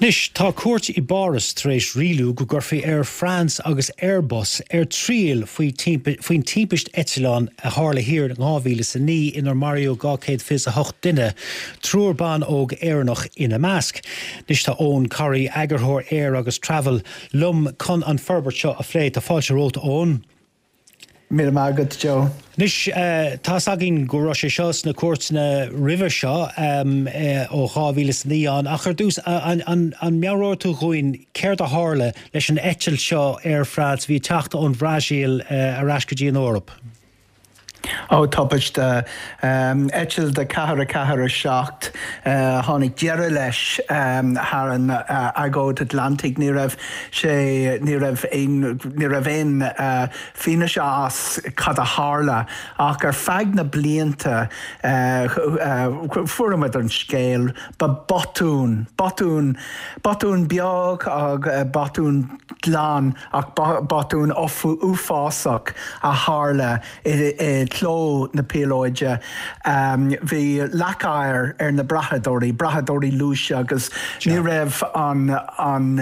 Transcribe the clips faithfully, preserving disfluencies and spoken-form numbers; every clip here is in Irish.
Anois, tá cúirt i bPáras tar éis rialú go gcuirfí Air France agus Airbus ar triail faoin timpiste eitleáin a tharla thiar in dhá mhíle is a naoi inar maraíodh dhá chéad fiche a hocht duine, triúr ban óg Éireannach ina measc. Anois tá Eoghan Corry, eagarthóir Air agus Travel, liom chun an forbairt seo a phlé. Tá fáilte romhat, Eoghan. Míle maith agat, Joe. Anois, tá's againn go raibh sé seo sna cúirteanna roimhe seo ó dhá mhíle is a naoi ann, ach ar dtús, an meabhróidh tú dhúinn céard a tharla leis an eitilt seo Air France a bhí ag teacht ón Bhrasaíl ar ais go dtí an Eoraip? Ó, tubaiste. Eitilt a ceathair a ceathair a seacht, tháinig deireadh leis thar an Aigéan Atlantaigh. Ní raibh sé, ní raibh aon, ní raibh aon fianaise as cad a tharla ach ar feadh na blianta fuaireamar an scéal, ba botún, botún, botún beag ach botún glan ach botún uafásach a tharla i gcró na píolóide. Bhí leac oighir ar na brathadóirí, brathadóirí luais agus ní raibh an, an,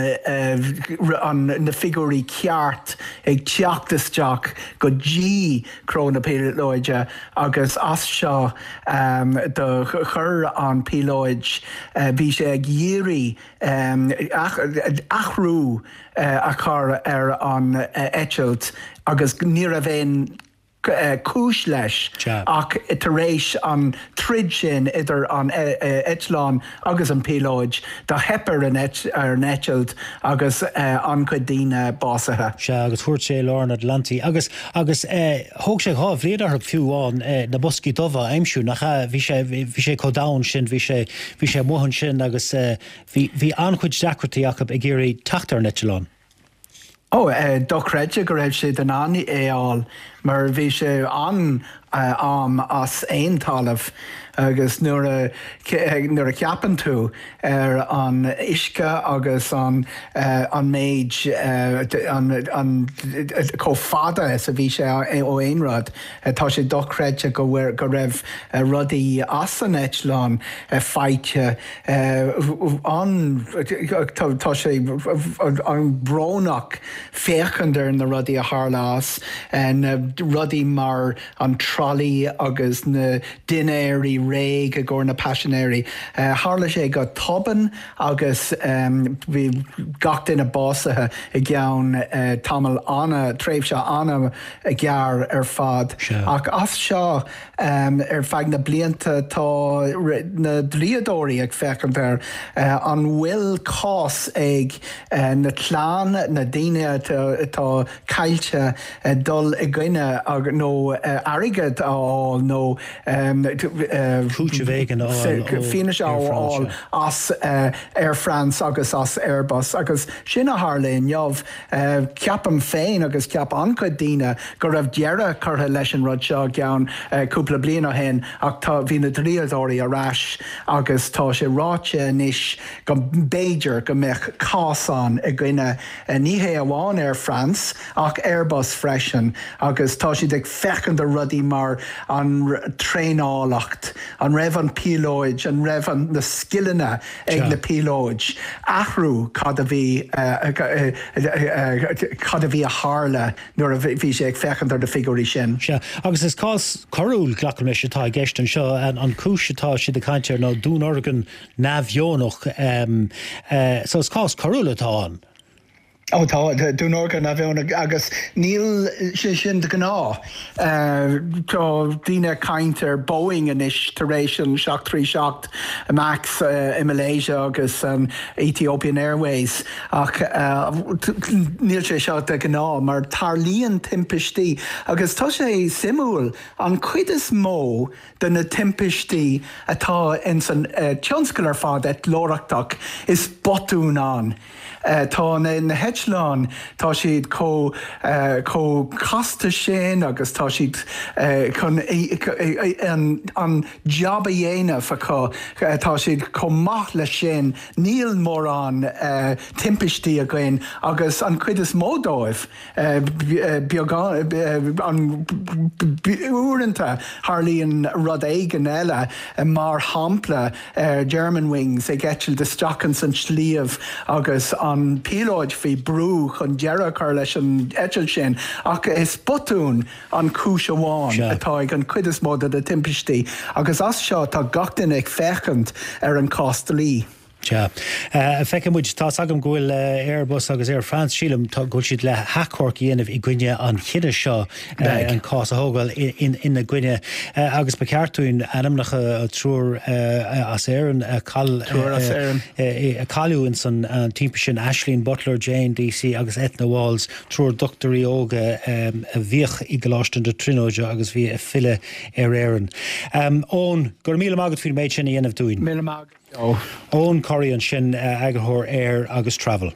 an, na figiúirí ceart ag teacht isteach go dtí cró na píolóide agus as seo do chuir an píolóid, bhí sé ag iarraidh athrú a chur ar an eitilt agus ní raibh aon cúis leis ach tar éis an troid sin idir an eitleán agus an píolóid, do theip ar an eitilt agus an-chuid daoine básaithe. Sea, agus thuirt sé i lár an Atlantaigh. Agus, agus thóg sé dhá bhliain orthu fiú amháin na boscaí dubha a aimsiú, nach ea? Bhí sé, bhí sé chomh domhain sin, bhí sé, bhí sé amuigh ansin agus bhí, bhí an-chuid deacrachtaí acu ag iarraidh teacht ar an eitleán. Ó, dochreidte go raibh siad in ann é a fháil mar bhí sé an-am as aon talamh agus nuair a nuair a cheapann tú ar an uisce agus an an méid an an chomh fada is a bhí sé ó aon rud, tá sé dochreidte go go raibh rudaí as an eitleán faighte. An tá sé an-bhrónach féachaint ar na rudaí a tharla as, na rudaí mar an trolley agus na dinnéirí réidh i gcomhair na paisinéirí. Tharla sé go tobann agus bhí gach duine básaithe i gceann tamall ana, tréimhse an-ghearr ar fad. Ach as seo ar feadh na blianta tá na dlíodóirí ag féachaint ar an bhfuil cás ag na clann, na daoine atá caillte dul i gcoinne nó airgead a fháil nó cúiteamh éigin a fháil ó fianaise a fháil as Air France agus as Airbus agus sin a tharla inniu. Ceapaim féin agus cheap an-chuid daoine go raibh deireadh curtha leis an rud seo i gceann cúpla bliain ó shin ach tá bhí na dlíodóirí ar ais agus tá sé ráite anois go mb'fhéidir go mbeadh cás ann i gcoinne ní hé amháin Air France ach Airbus freisin agus tá siad ag féachaint ar rudaí mar an traenálacht, an raibh an píolóid, an raibh an na scileanna ag na píolóid, athrú cad a bhí cad a bhí a tharla nuair a bhí sé ag féachaint ar na figiúirí sin. Sea, agus is cás coiriúil, glacaim leis, atá i gceist anseo. An cúis atá siad ag caint air ná dúnorgain neamhdheonach. So is cás coiriúil atá ann. Ó tá, dúnorgain neamhdheonach agus níl sé sin de ghnáth. Tá daoine ag caint ar Boeing anois tar éis an seacht trí seacht Max i Malaysia agus an Ethiopian Airways ach níl sé seo de ghnáth mar tarlaíonn timpistí agus tá sé suimiúil an chuid is mó de na timpistí atá ins an tionscal ar fad eitleoireachtach is botún ann. Tá na. eitleáin, tá siad chomh chomh casta sin agus tá siad chun an job a dhéanamh acu, tá siad chomh maith leis sin, níl mórán timpistí againn agus an chuid is mó dóibh beagán an uaireanta tarlaíonn rud éigin eile, mar shampla Germanwings ag eitilt isteach ins an sliabh agus an píolóid faoi brú chun deireadh a chur leis an eitilt sin, ach is botún an chúis amháin atá ag an chuid is mó de na timpistí agus as seo tá gach duine ag féachaint ar an cás dlí. Sea. Feicfidh muid. Tá's agam go bhfuil Airbus agus Air France, sílim, go bhfuil siad le hachomharc a dhéanamh i gcoinne an chinnidh seo an cás a thógáil ina gcoinne. Agus ba cheart dúinn ainmneacha triúr as Éirinn a cailleadh ins an timpiste sin, Ashleen Butler, Jane Deasy agus Ethna Walls, triúr dochtúirí óga a bhíodh i gColáiste na Tríonóide agus bhí ag filleadh ar Éirinn. Eoin, go raibh míle maith agat faoin méid sin a dhéanamh dúinn. Míle maith agat, Joe. Eoin Corry ansin, eagarthóir Air agus Travel.